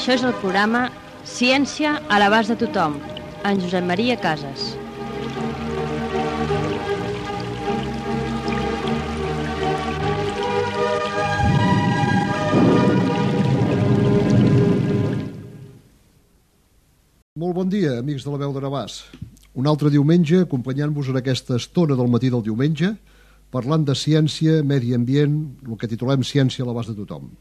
Això és el programa Ciència a l'abast de tothom, en Josep Maria Casas. Molt bon dia, amics de la Veu de Navàs. Un altre diumenge, acompanyant-vos en aquesta estona del matí del diumenge, parlant de ciència, medi ambient, el que titulem Ciència a l'abast de tothom.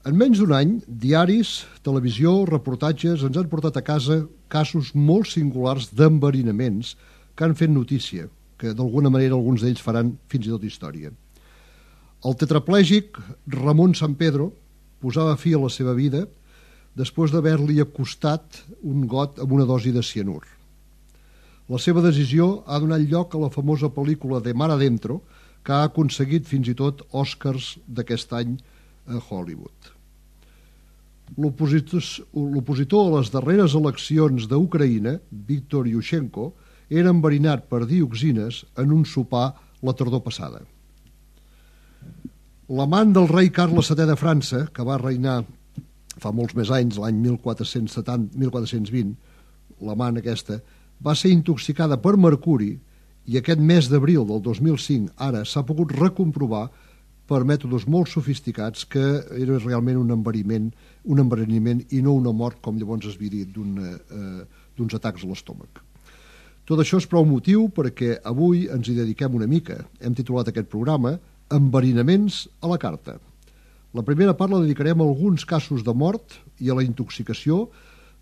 En menys d'un any, diaris, televisió, reportatges ens han portat a casa casos molt singulars d'enverinaments que han fet notícia, que d'alguna manera alguns d'ells faran fins i tot història. El tetraplègic Ramon Sampedro posava fi a la seva vida després d'haver-li acostat un got amb una dosi de cianur. La seva decisió ha donat lloc a la famosa pel·lícula de Mar Adentro, que ha aconseguit fins i tot Oscars d'aquest any a Hollywood. L'opositor a les darreres eleccions d'Ucraïna, Viktor Yushchenko, era enverinat per dioxines en un sopar la tardor passada. L'amant del rei Carles VII de França, que va reinar fa molts més anys, l'any 1420, l'amant aquesta, va ser intoxicada per mercuri i aquest mes d'abril del 2005 ara s'ha pogut recomprovar per mètodes molt sofisticats que era realment un enverinament i no una mort, com llavors es havia dit, d'uns atacs a l'estómac. Tot això és prou motiu perquè avui ens hi dediquem una mica. Hem titulat aquest programa Enverinaments a la carta. La primera part la dedicarem a alguns casos de mort i a la intoxicació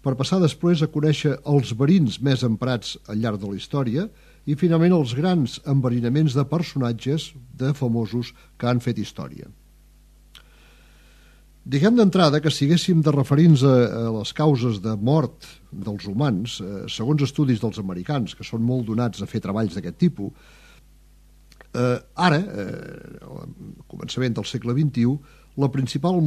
per passar després a conèixer els verins més emprats al llarg de la història i finalment els grans enverinaments de personatges, de famosos que han fet història. Diguem d'entrada que si haguéssim de referir-nos a les causes de mort dels humans, segons estudis dels americans, que són molt donats a fer treballs d'aquest tipus, ara, al començament del segle XXI, la principal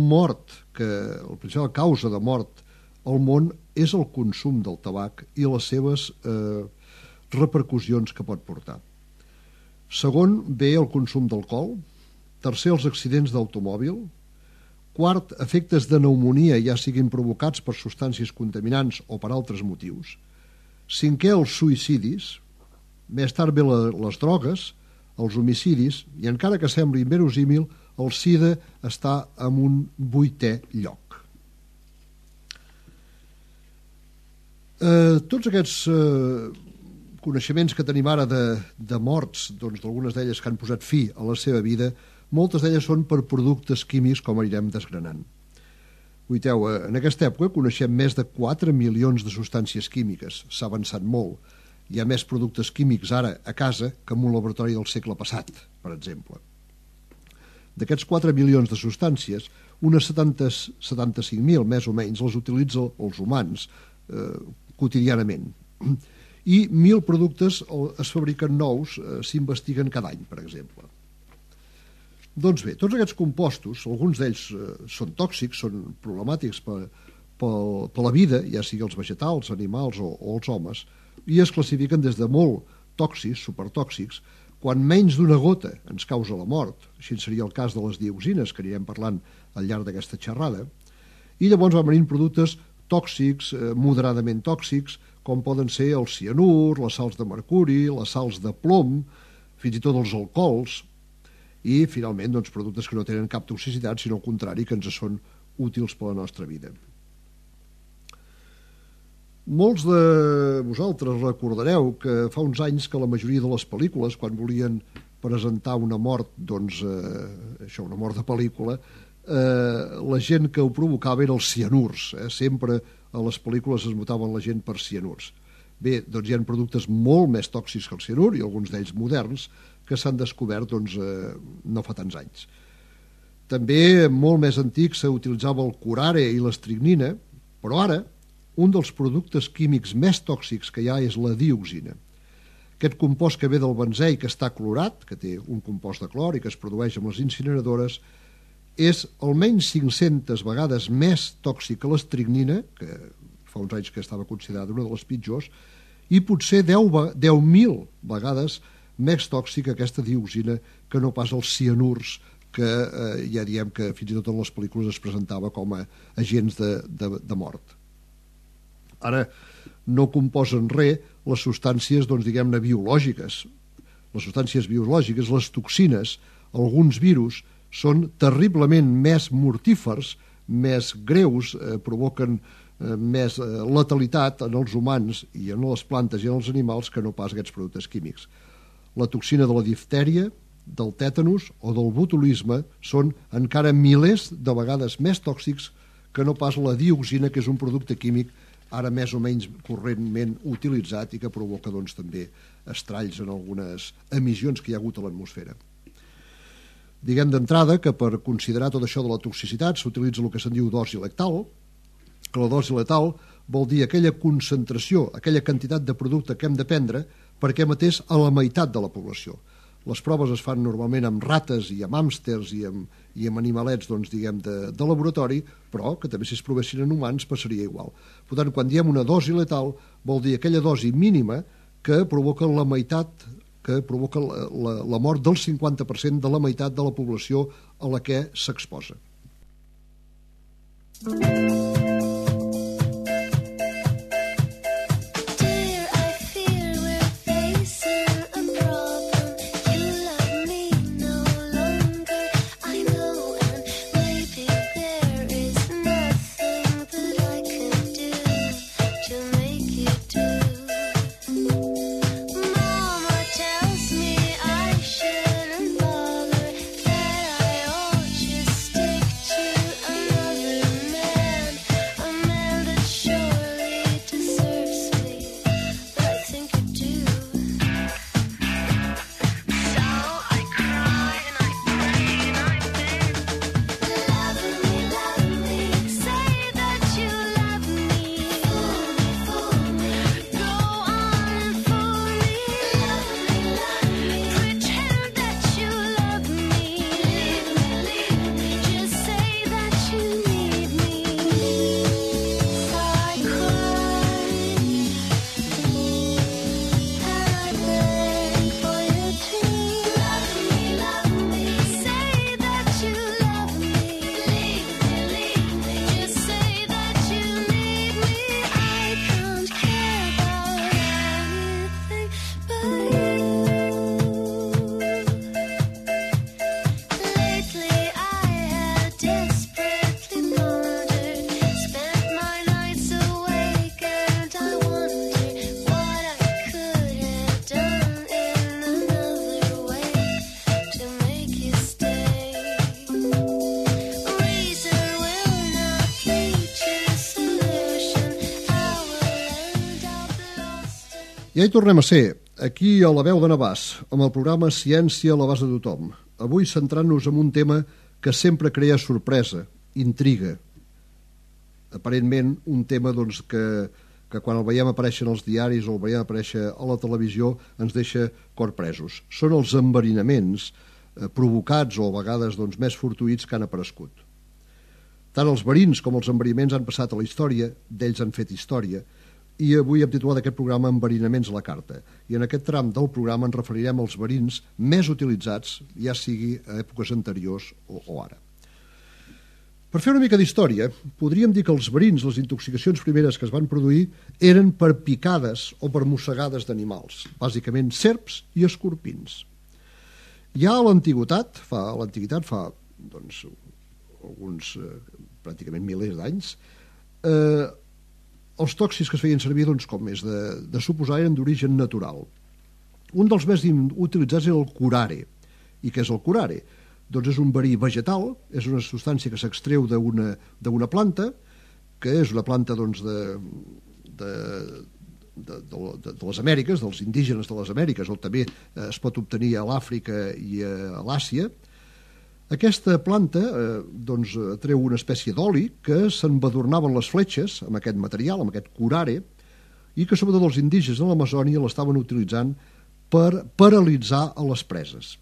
causa de mort al món és el consum del tabac i les seves repercussions que pot portar. Segon, ve el consum d'alcohol. Tercer, els accidents d'automòbil. Quart, efectes de pneumònia, ja siguin provocats per substàncies contaminants o per altres motius. Cinquè, els suïcidis. Més tard ve les drogues, els homicidis, i encara que sembli inverosímil, el SIDA està en un 8è lloc. Tots aquests coneixements que tenim ara de morts, doncs d'algunes d'elles que han posat fi a la seva vida, moltes d'elles són per productes químics, com anirem desgranant. Guaiteu, en aquesta època coneixem més de 4 milions de substàncies químiques. S'ha avançat molt. Hi ha més productes químics ara a casa que en un laboratori del segle passat, per exemple. D'aquests 4 milions de substàncies, unes 75.000, més o menys, les utilitzen els humans quotidianament. I 1.000 productes es fabriquen nous, s'investiguen cada any, per exemple. Doncs bé, tots aquests compostos, alguns d'ells són tòxics, són problemàtics per la vida, ja sigui els vegetals, animals o els homes, i es classifiquen des de molt tòxics, supertòxics, quan menys d'una gota ens causa la mort, així seria el cas de les dioxines, que anirem parlant al llarg d'aquesta xerrada, i llavors van venint productes tòxics, moderadament tòxics, com poden ser el cianur, les sals de mercuri, les sals de plom, fins i tot els alcohols, i finalment doncs, productes que no tenen cap toxicitat, sinó al contrari, que ens són útils per a la nostra vida. Molts de vosaltres recordareu que fa uns anys que la majoria de les pel·lícules, quan volien presentar una mort, doncs, una mort de pel·lícula, la gent que ho provocava eren els cianurs. Sempre a les pel·lícules es mataven la gent per cianurs. Bé, doncs hi ha productes molt més tòxics que el cianur, i alguns d'ells moderns, que s'han descobert doncs, no fa tants anys. També, molt més antic, s'utilitzava el curare i l'estricnina, però ara un dels productes químics més tòxics que hi ha és la dioxina. Aquest compost que ve del benzè i que està clorat, que té un compost de clor i que es produeix amb les incineradores, és almenys 500 vegades més tòxic que l'estricnina, que fa uns anys que estava considerada una de les pitjors, i potser 10.000 vegades més tòxica aquesta dioxina que no pas els cianurs que ja diem que fins i tot en les pel·lícules es presentava com a agents de mort. Ara, no composen res les substàncies, doncs, diguem-ne, biològiques. Les substàncies biològiques, les toxines, alguns virus, són terriblement més mortífers, més greus, provoquen més letalitat en els humans i en les plantes i en els animals que no pas aquests productes químics. La toxina de la diftèria, del tètanus o del botulisme són encara milers de vegades més tòxics que no pas la dioxina, que és un producte químic ara més o menys correntment utilitzat i que provoca doncs, també estralls en algunes emissions que hi ha hagut a l'atmosfera. Diguem d'entrada que per considerar tot això de la toxicitat s'utilitza el que se'n diu dosi letal, que la dosi letal vol dir aquella concentració, aquella quantitat de producte que hem de prendre perquè matés a la meitat de la població. Les proves es fan normalment amb rates i amb hàmsters i amb animalets, doncs, diguem, de laboratori, però que també si es provessin en humans passaria igual. Per tant, quan diem una dosi letal, vol dir aquella dosi mínima que provoca la meitat, que provoca la mort del 50% de la meitat de la població a la que s'exposa. Ja hi tornem a ser, aquí a la veu de Navàs, amb el programa Ciència a l'abast de tothom. Avui centrant-nos en un tema que sempre crea sorpresa, intriga. Aparentment, un tema doncs, que quan el veiem aparèixer als diaris o el veiem aparèixer a la televisió ens deixa corpresos. Són els enverinaments provocats o a vegades doncs, més fortuïts que han aparegut. Tant els verins com els enverinaments han passat a la història, d'ells han fet història, i avui hem titulat aquest programa Enverinaments a la carta. I en aquest tram del programa ens referirem als verins més utilitzats, ja sigui a èpoques anteriors o ara. Per fer una mica d'història, podríem dir que els verins, les intoxicacions primeres que es van produir, eren per picades o per mossegades d'animals, bàsicament serps i escorpins. Ja a l'antiguitat, fa doncs, alguns pràcticament milers d'anys, els tòxics que es feien servir, doncs, com és de suposar, eren d'origen natural. Un dels més utilitzats era el curare. I què és el curare? Doncs és un verí vegetal, és una substància que s'extreu d'una planta, que és una planta doncs, de les Amèriques, dels indígenes de les Amèriques, o també es pot obtenir a l'Àfrica i a l'Àsia. Aquesta planta doncs, treu una espècie d'oli que s'embadurnaven les fletxes amb aquest material, amb aquest curare, i que sobretot els indígenes de l'Amazònia l'estaven utilitzant per paralitzar a les preses.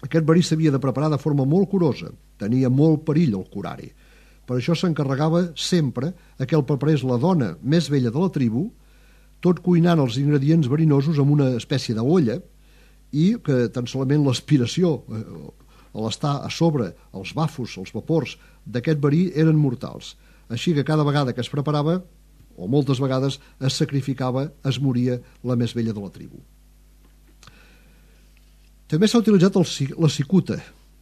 Aquest verí s'havia de preparar de forma molt curosa, tenia molt perill el curare. Per això s'encarregava sempre que el preparés la dona més vella de la tribu, tot cuinant els ingredients verinosos amb una espècie d'olla i que tan solament l'aspiració a l'estar a sobre, els bafos, els vapors d'aquest verí eren mortals. Així que cada vegada que es preparava, o moltes vegades, es sacrificava, es moria la més vella de la tribu. També s'ha utilitzat la cicuta.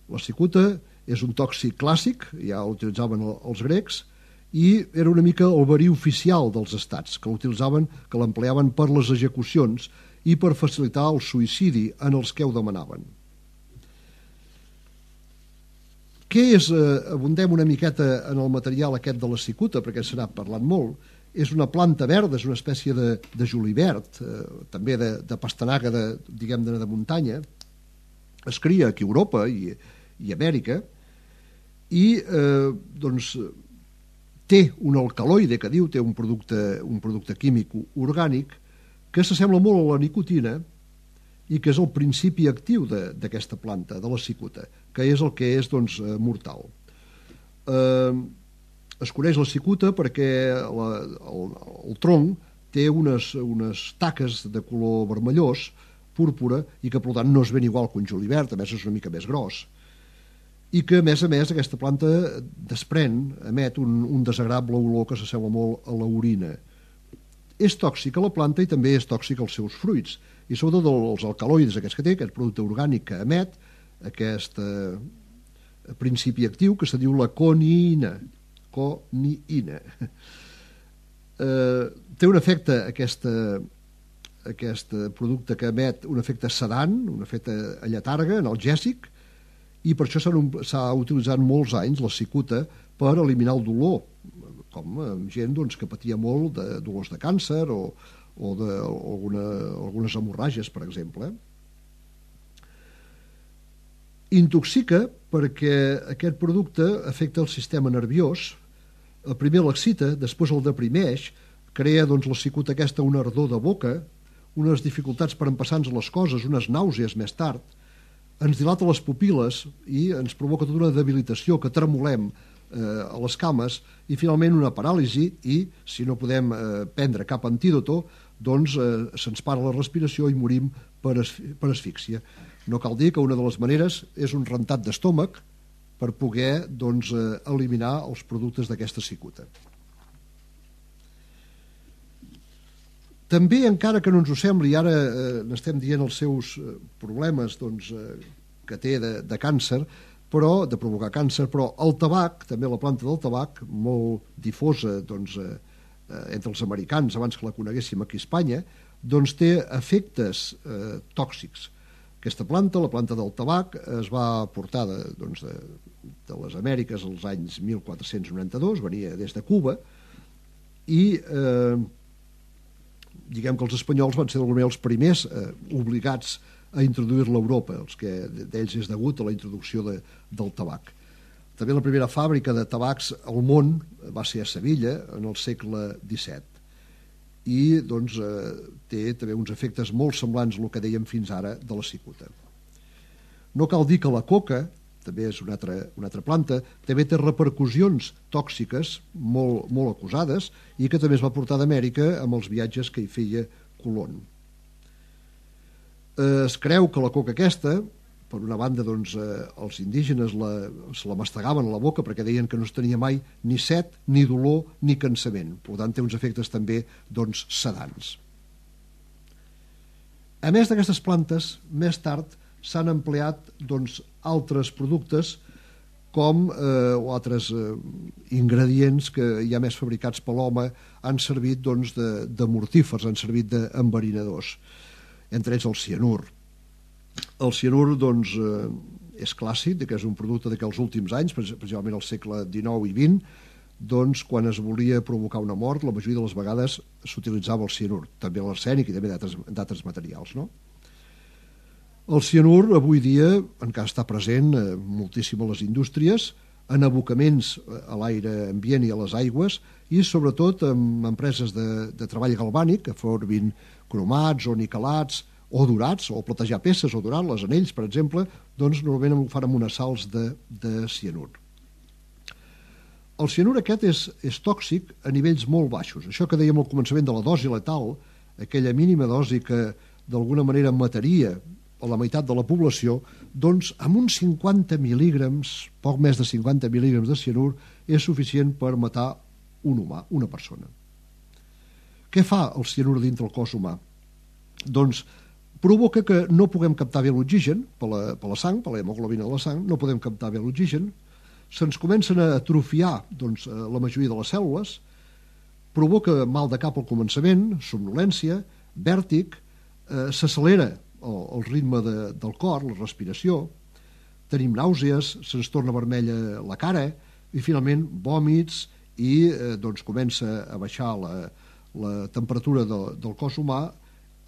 La cicuta és un tòxic clàssic, ja l'utilitzaven els grecs, i era una mica el verí oficial dels estats, que l'utilitzaven, que l'empleaven per les execucions i per facilitar el suïcidi en els que ho demanaven. Què és? Abundem una miqueta en el material aquest de la cicuta, perquè se n'ha parlat molt. És una planta verda, és una espècie de julivert, també de pastanaga de muntanya. Es cria aquí a Europa i Amèrica i doncs té un alcaloide, que diu, té un producte químic orgànic que s'assembla molt a la nicotina i que és el principi actiu d'aquesta planta, de la cicuta, que és el que és doncs, mortal. Es coneix la cicuta perquè el tronc té unes taques de color vermellós, púrpura, i que per tant no es ven igual que un julivert, a més és una mica més gros, i que a més aquesta planta emet un desagradable olor que s'assembla molt a l'orina. És tòxica la planta i també és tòxica els seus fruits, i sobretot els alcaloides aquests que té, aquest producte orgànic que emet, aquest principi actiu que se diu la coniïna. Té un efecte, aquest producte que emet, un efecte sedant, un efecte lletarga, analgèsic, i per això s'ha utilitzat molts anys la cicuta per eliminar el dolor, com gent que patia molt de dolors de càncer o d'algunes hemorràgies, per exemple. Intoxica perquè aquest producte afecta el sistema nerviós, primer l'excita, després el deprimeix, crea la cicuta aquesta una ardor de boca, unes dificultats per empassar-nos les coses, unes nàusees més tard, ens dilata les pupil·les i ens provoca tota una debilitació, que tremolem a les cames i finalment una paràlisi i, si no podem prendre cap antídoto, doncs se'ns para la respiració i morim per asfíxia. No cal dir que una de les maneres és un rentat d'estómac per poder eliminar els productes d'aquesta cicuta. També, encara que no ens ho sembli, ara n'estem dient els seus problemes que té de càncer, però de provocar càncer, però el tabac, també la planta del tabac, molt difosa entre els americans abans que la coneguéssim aquí a Espanya, doncs té efectes tòxics. Aquesta planta, la planta del tabac, es va portar de les Amèriques als anys 1492, venia des de Cuba, i diguem que els espanyols van ser els primers obligats a introduir-la a Europa, els que d'ells és degut a la introducció del tabac. També la primera fàbrica de tabacs al món va ser a Sevilla en el segle XVII i té també uns efectes molt semblants al que dèiem fins ara de la cicuta. No cal dir que la coca, també és una altra planta, també té repercussions tòxiques molt acusades i que també es va portar d'Amèrica amb els viatges que hi feia Colón. Es creu que la coca aquesta, per una banda els indígenes se la mastegaven a la boca perquè deien que no es tenia mai ni set, ni dolor, ni cansament. Per tant, té uns efectes també sedants. A més d'aquestes plantes, més tard s'han empleat altres productes o altres ingredients que ja més fabricats per l'home han servit de mortífers, han servit d'enverinadors, entre ells el cianur. El cianur és clàssic, que és un producte d'aquells últims anys, principalment al segle XIX i XX, quan es volia provocar una mort, la majoria de les vegades s'utilitzava el cianur, també l'arsènic i també d'altres materials, no? El cianur avui dia encara està present moltíssim a les indústries, en abocaments a l'aire ambient i a les aigües i sobretot en empreses de treball galvànic que formin cromats o niquelats o dorats, o platejar peces o dorar-les, anells, per exemple, normalment ho fan amb unes sals de cianur. El cianur aquest és tòxic a nivells molt baixos. Això que dèiem al començament de la dosi letal, aquella mínima dosi que d'alguna manera mataria o la meitat de la població, doncs amb uns 50 mil·lígrams, poc més de 50 mil·lígrams de cianur, és suficient per matar un humà, una persona. Què fa el cianur dintre el cos humà? Doncs provoca que no puguem captar bé l'oxigen per la sang, per l'hemoglobina de la sang, no podem captar bé l'oxigen, se'ns comencen a atrofiar doncs, la majoria de les cèl·lules, provoca mal de cap al començament, somnolència, vèrtic, s'accelera el ritme del cor, la respiració, tenim nàusees, se'ns torna vermella la cara i finalment vòmits i doncs comença a baixar la temperatura del cos humà,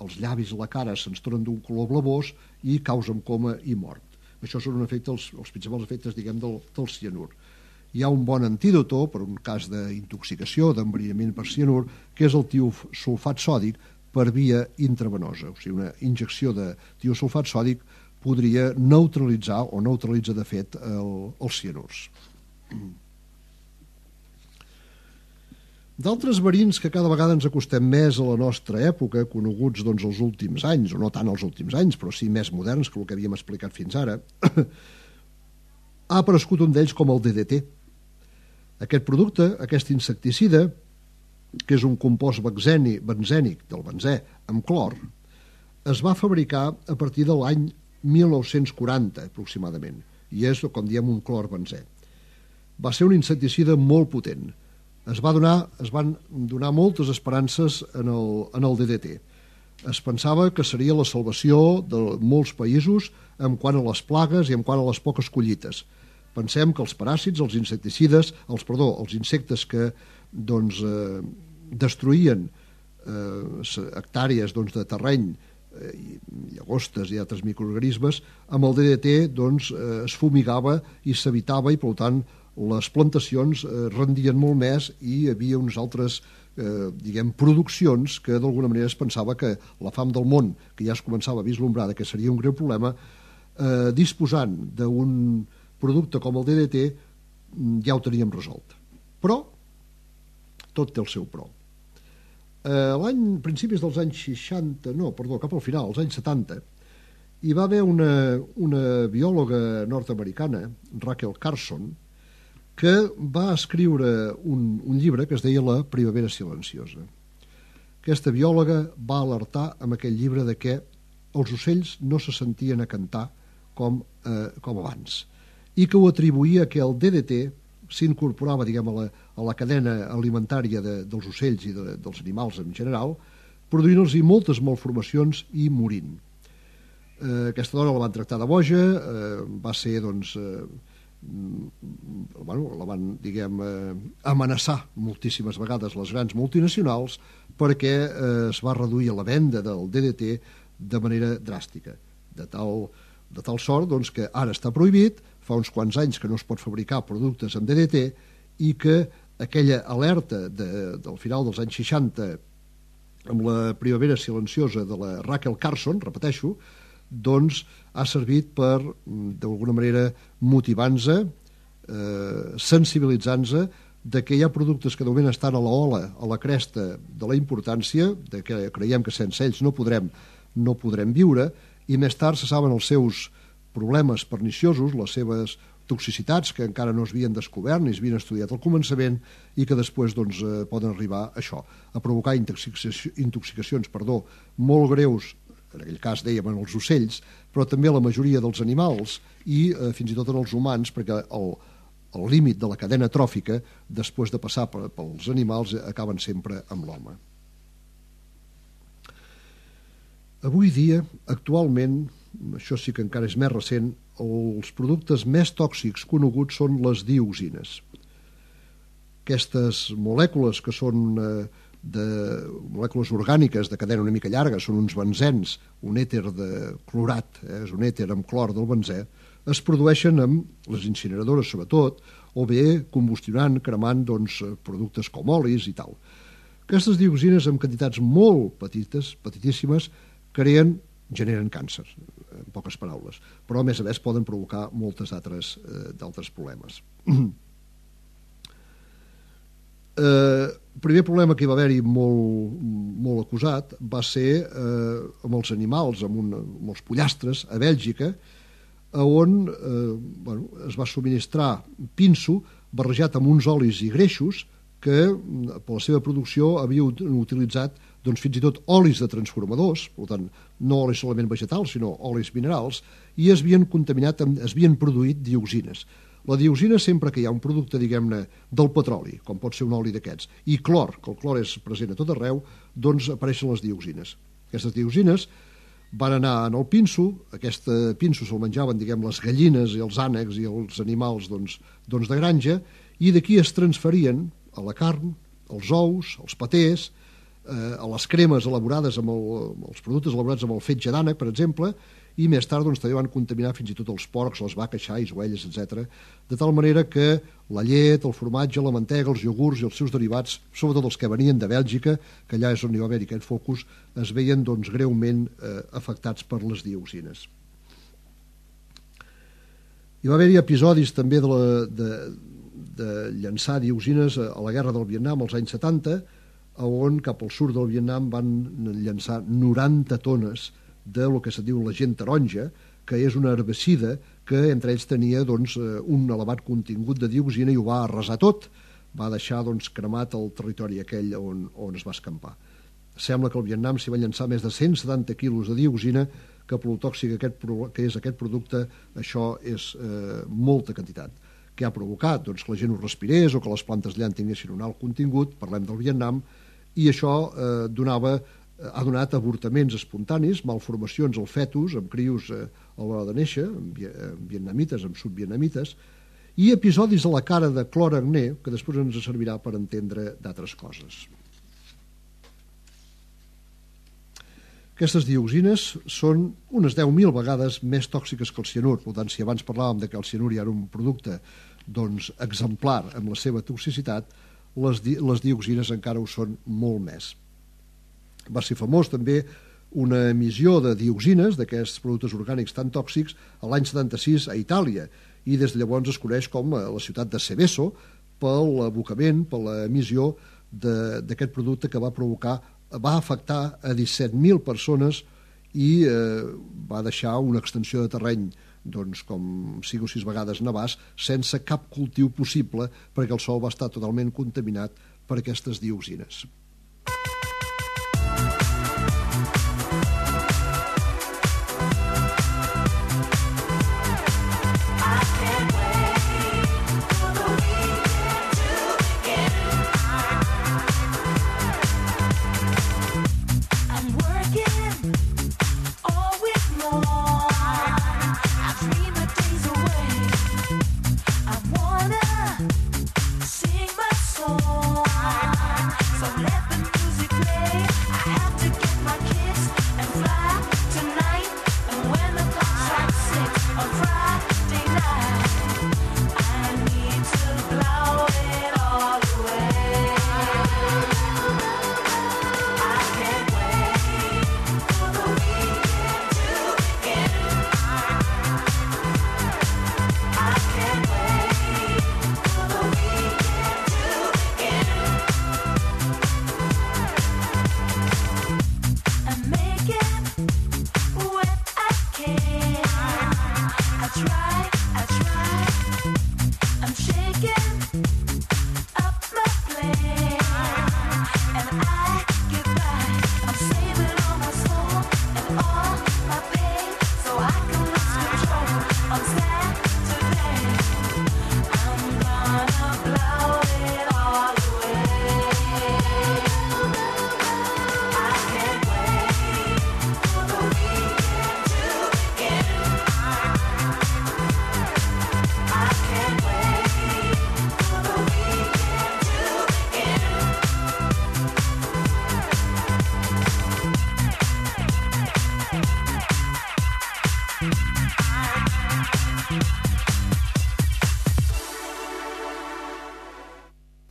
els llavis i la cara se'ns tornen d'un color blavós i causen coma i mort. Això són els principals efectes, diguem, del cianur. Hi ha un bon antídot per un cas d'intoxicació, d'enverinament per cianur, que és el tiosulfat sòdic per via intravenosa. O sigui, una injecció de tiosulfat sòdic podria neutralitzar o neutralitza, de fet, els cianurs. D'altres verins que cada vegada ens acostem més a la nostra època, coneguts doncs, els últims anys, o no tant els últims anys, però sí més moderns que el que havíem explicat fins ara, ha aparegut un d'ells com el DDT. Aquest producte, aquest insecticida, que és un compost benzènic del benzè amb clor, es va fabricar a partir de l'any 1940 aproximadament, i és, com diem, un clor benzè. Va ser un insecticida molt potent. Es van donar moltes esperances en el DDT. Es pensava que seria la salvació de molts països en quant a les plagues i en quant a les poques collites. Pensem que els paràsits, els insectes que doncs, destruïen hectàrees de terreny, llagostes i altres microorganismes, amb el DDT doncs, es fumigava i s'evitava i, per tant, les plantacions rendien molt més i hi havia unes altres produccions que d'alguna manera es pensava que la fam del món, que ja es començava a vislumbrar que seria un greu problema, disposant d'un producte com el DDT ja ho teníem resolt. Però tot té el seu però. Principis dels anys 60, cap al final, als anys 70, hi va haver una biòloga nord-americana, Rachel Carson, que va escriure un llibre que es deia La primavera silenciosa. Aquesta biòloga va alertar amb aquell llibre de que els ocells no se sentien a cantar com abans i que ho atribuïa que el DDT s'incorporava, diguem, a la cadena alimentària dels ocells i dels animals en general, produint-los moltes malformacions i morint. Aquesta dona la van tractar de boja, va ser, doncs, la van, diguem, amenaçar moltíssimes vegades les grans multinacionals perquè es va reduir la venda del DDT de manera dràstica, de tal sort doncs, que ara està prohibit, fa uns quants anys que no es pot fabricar productes amb DDT i que aquella alerta del final dels anys 60 amb la primavera silenciosa de la Rachel Carson, repeteixo, doncs ha servit per, d'alguna manera, motivant-se, sensibilitzant-se de que hi ha productes que de moment estan a l'ola, a la cresta de la importància, de que creiem que sense ells no podrem viure, i més tard se saben els seus problemes perniciosos, les seves toxicitats que encara no es havien descobert ni es havien estudiat al començament i que després doncs, poden arribar a això, a provocar intoxicacions molt greus, en aquell cas dèiem en els ocells, però també la majoria dels animals i fins i tot en els humans, perquè el límit de la cadena tròfica, després de passar pels animals, acaben sempre amb l'home. Avui dia, actualment, això sí que encara és més recent, els productes més tòxics coneguts són les dioxines. Aquestes molècules que són molècules orgàniques de cadena una mica llarga, són uns benzens, un èter de clorat, és un èter amb clor del benzè, es produeixen amb les incineradores sobretot, o bé combustionant, cremant doncs, productes com olis i tal. Aquestes dioxines amb quantitats molt petitíssimes generen càncer, en poques paraules, però a més poden provocar moltes d'altres problemes. El primer problema que hi va haver-hi molt acusat va ser amb els animals, amb els pollastres, a Bèlgica, on es va subministrar pinso barrejat amb uns olis i greixos que per la seva producció havia utilitzat fins i tot olis de transformadors, per tant, no olis solament vegetals, sinó olis minerals, i es havien produït dioxines. La dioxina, sempre que hi ha un producte, diguem-ne, del petroli, com pot ser un oli d'aquests, i clor, que el clor és present a tot arreu, doncs apareixen les dioxines. Aquestes dioxines van anar en el pinso, aquest pinso se'l menjaven, diguem, les gallines i els ànecs i els animals de granja, i d'aquí es transferien a la carn, als ous, als patés, a les cremes elaborades amb els productes elaborats amb el fetge d'ànec, per exemple, i més tard també van contaminar fins i tot els porcs, les vaques, xais, ovelles, etc. De tal manera que la llet, el formatge, la mantega, els iogurts i els seus derivats, sobretot els que venien de Bèlgica, que allà és on hi va haver aquest focus, es veien greument afectats per les dioxines. Hi va haver-hi episodis també de llançar dioxines a la guerra del Vietnam als anys 70, on cap al sud del Vietnam van llançar 90 tones de lo que se diu l'agent taronja, que és una herbicida que entre ells tenia un elevat contingut de dioxina i ho va arrasar tot, va deixar cremat el territori aquell on es va escampar. Sembla que al Vietnam s'hi van llançar més de 170 quilos de dioxina, que pel tòxic que és aquest producte, això és molta quantitat. Què ha provocat? Que la gent ho respirés o que les plantes allà en tinguessin un alt contingut, parlem del Vietnam, i això ha donat avortaments espontanis, malformacions al fetus, amb crios a l'hora de néixer, amb vietnamites, amb subvietnamites, i episodis a la cara de clor acné, que després ens servirà per entendre d'altres coses. Aquestes dioxines són unes 10.000 vegades més tòxiques que el cianur. Per tant, si abans parlàvem que el cianur ja era un producte exemplar amb la seva toxicitat, les dioxines encara ho són molt més. Va ser famós també una emissió de dioxines, d'aquests productes orgànics tan tòxics, a l'any 76 a Itàlia, i des de llavors es coneix com la ciutat de Seveso per l'abocament, per l'emissió d'aquest producte que va afectar a 17.000 persones i va deixar una extensió de terreny com 5 o 6 vegades nevàs, sense cap cultiu possible, perquè el sòl va estar totalment contaminat per aquestes dioxines.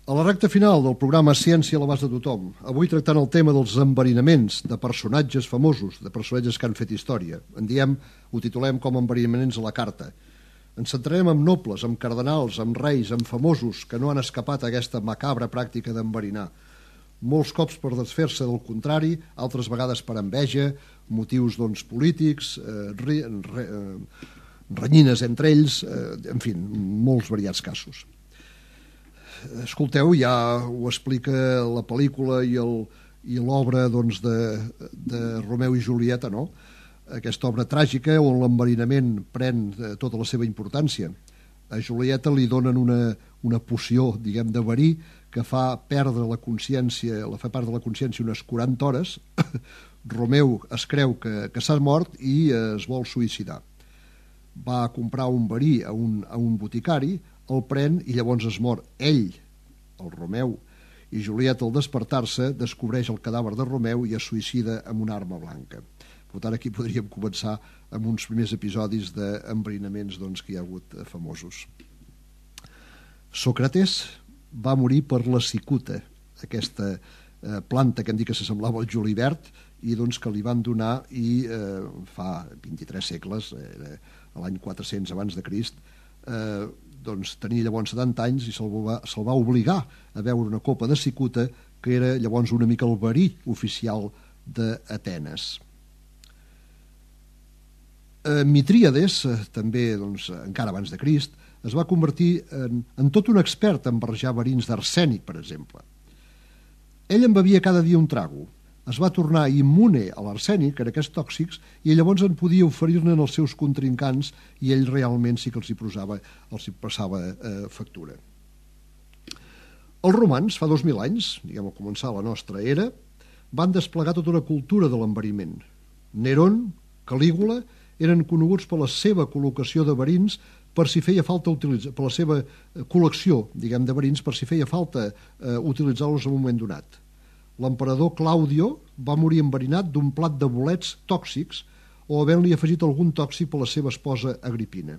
A la recta final del programa Ciència a l'abast de tothom, avui tractant el tema dels enverinaments de personatges famosos, de personatges que han fet història. Ho titulem com enverinaments a la carta. Ens centrarem en nobles, en cardenals, en reis, en famosos que no han escapat a aquesta macabra pràctica d'enverinar. molts cops per desfer-se del contrari, altres vegades per enveja, motius polítics, renyines entre ells, en fi, molts variats casos. Escolteu, ja ho explica la pel·lícula i l'obra de Romeu i Julieta, no? Aquesta obra tràgica on l'enverinament pren tota la seva importància. A Julieta li donen una poció, diguem, de verí que fa perdre la consciència, la fa perdre la consciència unes 40 hores. Romeu es creu que s'ha mort i es vol suïcidar. Va a comprar un verí a un boticari, el pren i llavors es mor ell, el Romeu, i Julieta, al despertar-se, descobreix el cadàver de Romeu i es suïcida amb una arma blanca. Per tant, aquí podríem començar amb uns primers episodis d'enverinaments que hi ha hagut famosos. Sòcrates va morir per la cicuta, aquesta planta que hem dit que s'assemblava al julivert i que li van donar i fa 23 segles, a l'any 400 abans de Crist, tenia llavors 70 anys i se'l va obligar a beure una copa de cicuta que era llavors una mica el verí oficial d'Atenes. Mitríades, també encara abans de Crist, es va convertir en tot un expert en barrejar verins d'arsènic, per exemple. Ell en bevia cada dia un trago. Es va tornar immune a l'arsènic, en aquests tòxics, i llavors en podia oferir-ne als seus contrincants i ell realment sí que els hi passava factura. Els romans, fa 2.000 anys, diguem, al començar la nostra era, van desplegar tota una cultura de l'enveriment. Nerón, Calígula, eren coneguts per la seva col·locació de verins per si feia falta utilitzar, per la seva col·lecció, diguem, de verins, per si feia falta utilitzar-los en un moment donat. L'emperador Claudio va morir enverinat d'un plat de bolets tòxics o havent-li afegit algun tòxic per la seva esposa Agripina.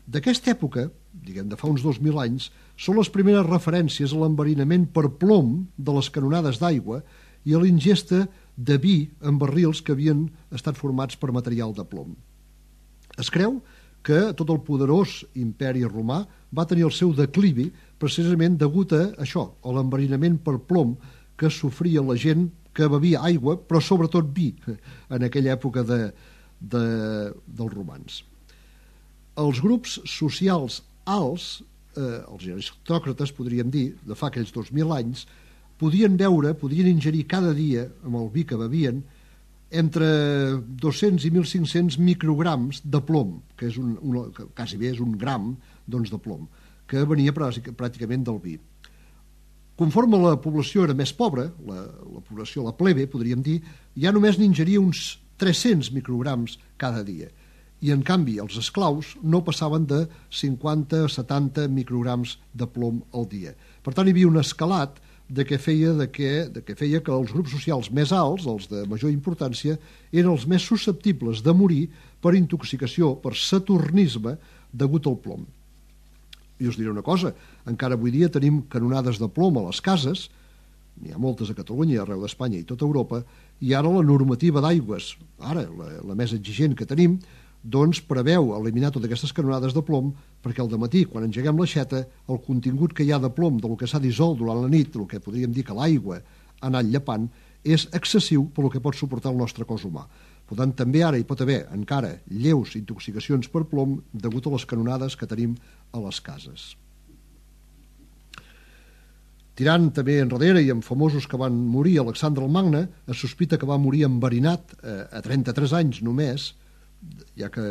D'aquesta època, diguem, de fa uns 2.000 anys, són les primeres referències a l'enverinament per plom de les canonades d'aigua i a l'ingesta de vi en barrils que havien estat formats per material de plom. Es creu que tot el poderós imperi romà va tenir el seu declivi precisament degut a això, a l'enverinament per plom que sofria la gent que bevia aigua, però sobretot vi, en aquella època dels romans. Els grups socials alts, els aristòcrates, podríem dir, de fa aquells 2.000 anys, podien ingerir cada dia, amb el vi que bevien, entre 200 i 1.500 micrograms de plom, que és quasi bé és un gram de plom, que venia pràcticament del vi. Conforme la població era més pobra, la població, la plebe, podríem dir, ja només n'ingeria uns 300 micrograms cada dia. I, en canvi, els esclaus no passaven de 50 a 70 micrograms de plom al dia. Per tant, hi havia un escalat que feia que els grups socials més alts, els de major importància, eren els més susceptibles de morir per intoxicació, per saturnisme, degut al plom. I us diré una cosa, encara avui dia tenim canonades de plom a les cases, n'hi ha moltes a Catalunya, arreu d'Espanya i tota Europa, i ara la normativa d'aigües, ara la més exigent que tenim, preveu eliminar totes aquestes canonades de plom perquè al dematí, quan engeguem l'aixeta, el contingut que hi ha de plom del que s'ha dissolt durant la nit, el que podríem dir que l'aigua ha anat llepant, és excessiu per el que pot suportar el nostre cos humà. Per tant, també ara hi pot haver encara lleus intoxicacions per plom degut a les canonades que tenim a les cases. Tirant també enrere i amb famosos que van morir, Alexandre el Magne es sospita que va morir enverinat a 33 anys només, ja que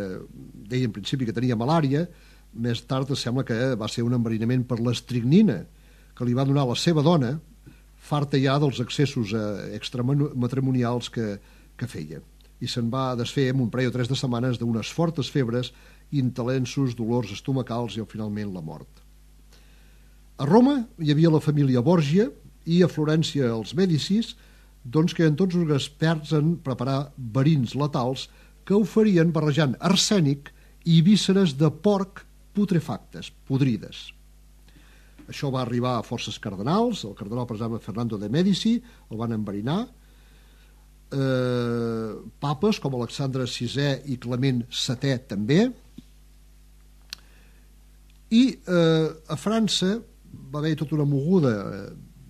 deia en principi que tenia malària. Més tard sembla que va ser un enverinament per l'estricnina que li va donar la seva dona, farta ja dels excessos extramatrimonials que feia, i se'n va desfer en un parell o 3 de setmanes d'unes fortes febres, intensos dolors estomacals i finalment la mort. A Roma hi havia la família Borgia i a Florència els Mèdicis, que eren tots uns experts en preparar verins letals que oferien barrejant arsènic i vísceres de porc putrefactes, podrides. Això va arribar a forces cardenals, el cardenal, per exemple, Fernando de Mèdici, el van enverinar, papes com Alexandre VI i Clement VII també, i a França va haver tota una moguda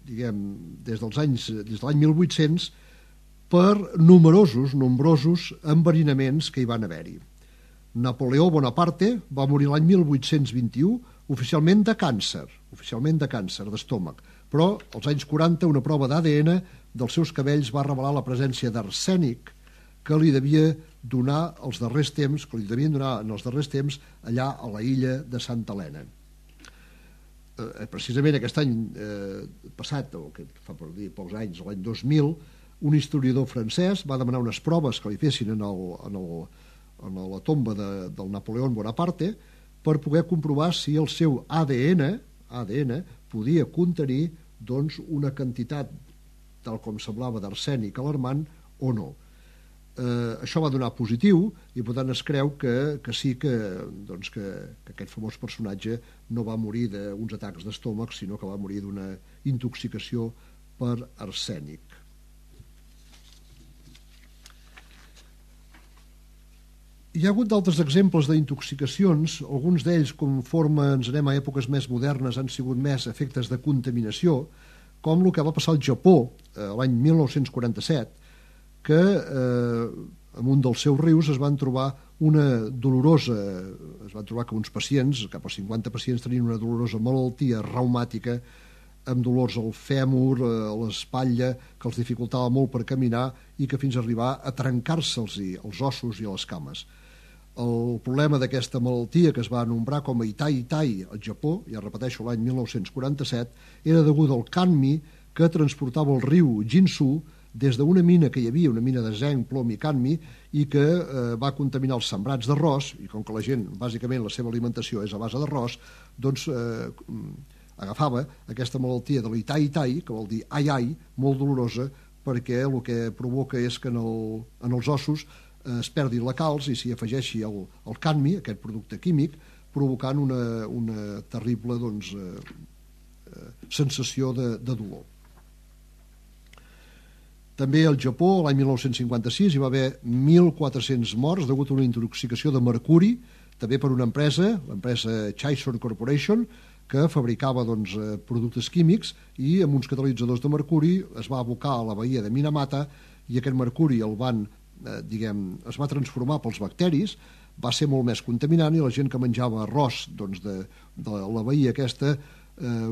des de l'any 1800 per nombrosos enverinaments que hi van haver-hi. Napoleó Bonaparte va morir l'any 1821 oficialment de càncer d'estómac, però als anys 40 una prova d'ADN dels seus cabells va revelar la presència d'arsènic que li devia donar els darrers temps, allà a la illa de Santa Helena. Precisament aquest any passat, o que fa per dir pocs anys, l'any 2000, un historiador francès va demanar unes proves que li fessin en la tomba del Napoleó Bonaparte per poder comprovar si el seu ADN podia contenir una quantitat, tal com semblava, d'arsènic alarmant o no. Això va donar positiu i per tant es creu que sí que aquest famós personatge no va morir d'uns atacs d'estómac, sinó que va morir d'una intoxicació per arsènic. Hi ha hagut d'altres exemples d'intoxicacions, alguns d'ells, conforme ens anem a èpoques més modernes, han sigut més efectes de contaminació, com el que va passar al Japó l'any 1947, que en un dels seus rius es van trobar que uns pacients, cap a 50 pacients, tenien una dolorosa malaltia reumàtica amb dolors al fèmur, a l'espatlla, que els dificultava molt per caminar i que fins a arribar a trencar-se'ls els ossos i les cames. El problema d'aquesta malaltia, que es va anomenar com a Itai al Japó, ja repeteixo, l'any 1947, era degut al cadmi que transportava el riu Jinsu des d'una mina que hi havia, una mina de zinc, plom i cadmi, i que va contaminar els sembrats d'arròs, i com que la gent, bàsicament, la seva alimentació és a base d'arròs, doncs agafava aquesta malaltia de l'Itai, que vol dir ai, molt dolorosa, perquè el que provoca és que en els ossos es perdi la calç i s'hi afegeixi el cadmi, aquest producte químic, provocant una terrible sensació de dolor. També al Japó, l'any 1956, hi va haver 1.400 morts degut a una intoxicació de mercuri, també per una empresa, l'empresa Chaison Corporation, que fabricava productes químics i amb uns catalitzadors de mercuri es va abocar a la bahia de Minamata i aquest mercuri es va transformar pels bacteris, va ser molt més contaminant i la gent que menjava arròs de la bahia aquesta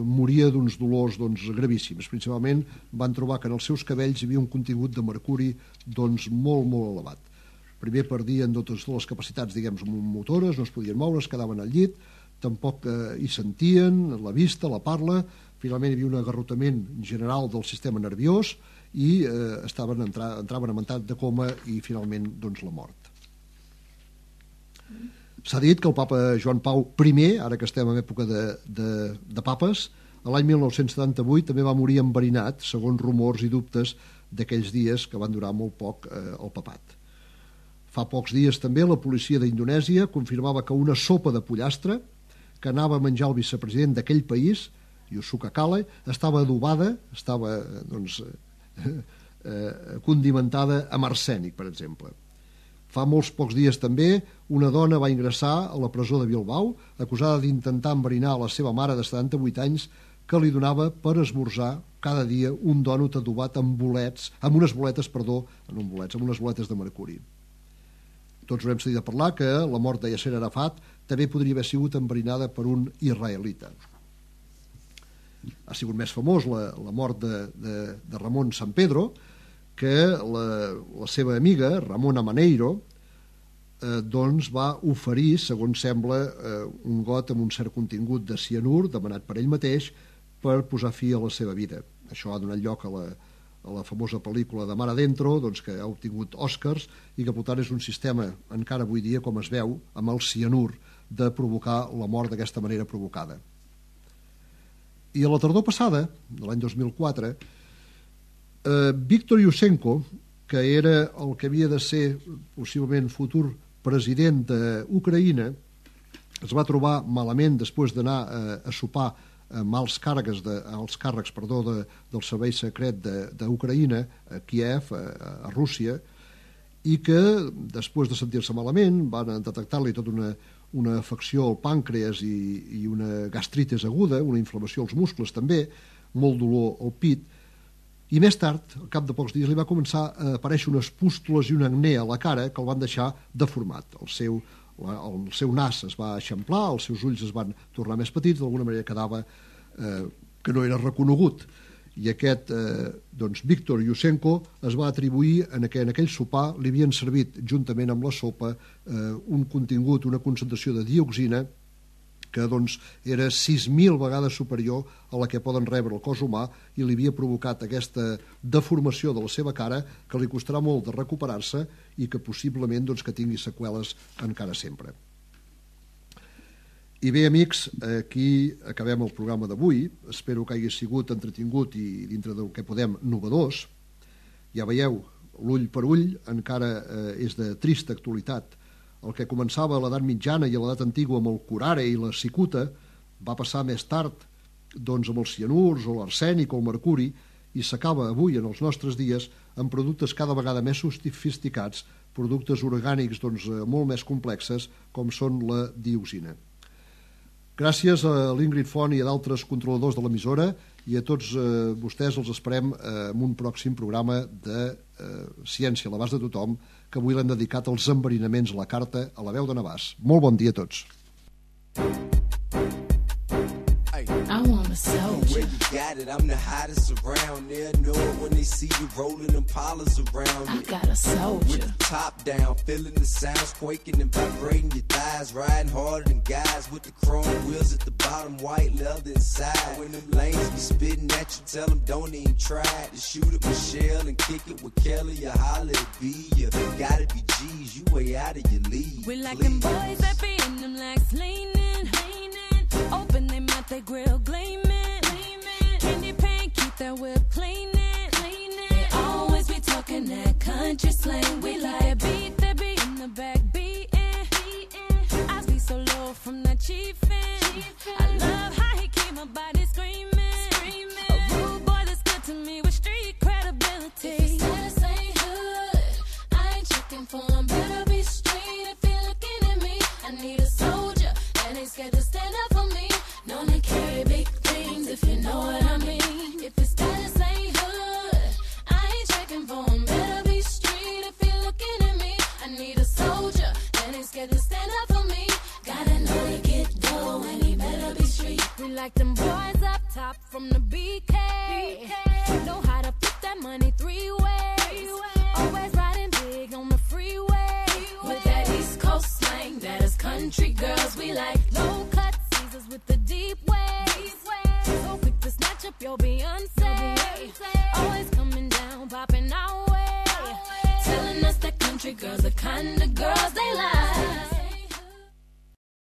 moria d'uns dolors gravíssims. Principalment van trobar que en els seus cabells hi havia un contingut de mercuri molt, molt elevat. Primer perdien totes les capacitats, motores, no es podien moure, es quedaven al llit, tampoc hi sentien la vista, la parla, finalment hi havia un agarrotament general del sistema nerviós i entraven en estat de coma i finalment la mort. S'ha dit que el papa Joan Pau I, ara que estem en època de papes, l'any 1978 també va morir enverinat, segons rumors i dubtes d'aquells dies que van durar molt poc al papat. Fa pocs dies també la policia d'Indonèsia confirmava que una sopa de pollastre que anava a menjar el vicepresident d'aquell país, Yusuka Kale, estava adobada, estava condimentada amb arsènic, per exemple. Fa molts pocs dies també una dona va ingressar a la presó de Bilbao acusada d'intentar enverinar a la seva mare de 78 anys que li donava per esmorzar cada dia un dònut adobat amb unes boletes de mercuri. Tots haurem sentit a parlar que la mort de Yasser Arafat també podria haver sigut enverinada per un israelita. Ha sigut més famós la mort de Ramon Sampedro, que la seva amiga, Ramona Maneiro, va oferir, segons sembla, un got amb un cert contingut de cianur, demanat per ell mateix, per posar fi a la seva vida. Això ha donat lloc a la famosa pel·lícula de Mar Adentro, que ha obtingut Oscars, i que per tant és un sistema, encara avui dia, com es veu, amb el cianur, de provocar la mort d'aquesta manera provocada. I a la tardor passada, de l'any 2004, Viktor Yushchenko, que era el que havia de ser possiblement futur president d'Ucraïna, es va trobar malament després d'anar a sopar amb alts càrrecs del servei secret d'Ucraïna a Kiev, a Rússia, i que després de sentir-se malament van detectar-li tota una afecció al pàncreas i una gastritis aguda, una inflamació als muscles també, molt dolor al pit, i més tard, al cap de pocs dies, li va començar a aparèixer unes pústules i un acné a la cara que el van deixar deformat. El seu nas es va eixamplar, els seus ulls es van tornar més petits, d'alguna manera quedava que no era reconegut. I aquest Víctor Yushchenko es va atribuir que en aquell sopar li havien servit, juntament amb la sopa, un contingut, una concentració de dioxina que era 6.000 vegades superior a la que poden rebre el cos humà, i li havia provocat aquesta deformació de la seva cara que li costarà molt de recuperar-se i que possiblement que tingui seqüeles encara sempre. I bé, amics, aquí acabem el programa d'avui. Espero que hagi sigut entretingut i, dintre del que podem, novedós. Ja veieu, l'ull per ull encara és de trista actualitat. El que començava a l'edat mitjana i a l'edat antigua amb el curare i la cicuta va passar més tard amb els cianurs o l'arsènic o el mercuri, i s'acaba avui, en els nostres dies, amb productes cada vegada més sofisticats, productes orgànics molt més complexes, com són la dioxina. Gràcies a l'Ingrid Font i a d'altres controladors de l'emissora, i a tots vostès els esperem en un pròxim programa de Ciència a l'abast de tothom, que avui l'hem dedicat als enverinaments a la carta a la veu de Navàs. Molt bon dia a tots. I want a soldier. Where you got it, I'm the hottest around. They'll know it when they see you rolling them polars around. I got a soldier. With the top down, feeling the sounds quaking and vibrating your thighs. Riding harder than guys with the chrome wheels at the bottom, white leather inside. When them lanes be spitting at you, tell them don't even try to shoot at Michelle and kick it with Kelly or holler at B. You gotta be G's, you way out of your league. We like them boys that be in them legs leaning. Open their mouth, they grill gleaming. Candy paint, keep that whip cleaning. They always be talking that country slang. We like a beat that be in the back beating. I be so low from that chiefin'. I love how he keep my body screaming. A rude boy that's good to me with street credibility. If his status ain't hood, I ain't checking for him. Better be straight if you're looking at me. I need a soldier that ain't scared to stand up for me. Known to carry big things, if you know what I mean. If his status ain't hood, I ain't checking for him. Better be straight if you're looking at me. I need a soldier that ain't scared to stand up for me. Gotta know to get dough and he better be street. We like them boys up top from the BK. Know how to flip that money three ways. Always riding big on the freeway. With that East Coast slang, that is country girls we like. Low cut Caesars with the deep waves. So quick to snatch up your Beyonce. Always coming down, popping our way. Telling us that country girls the kind of girls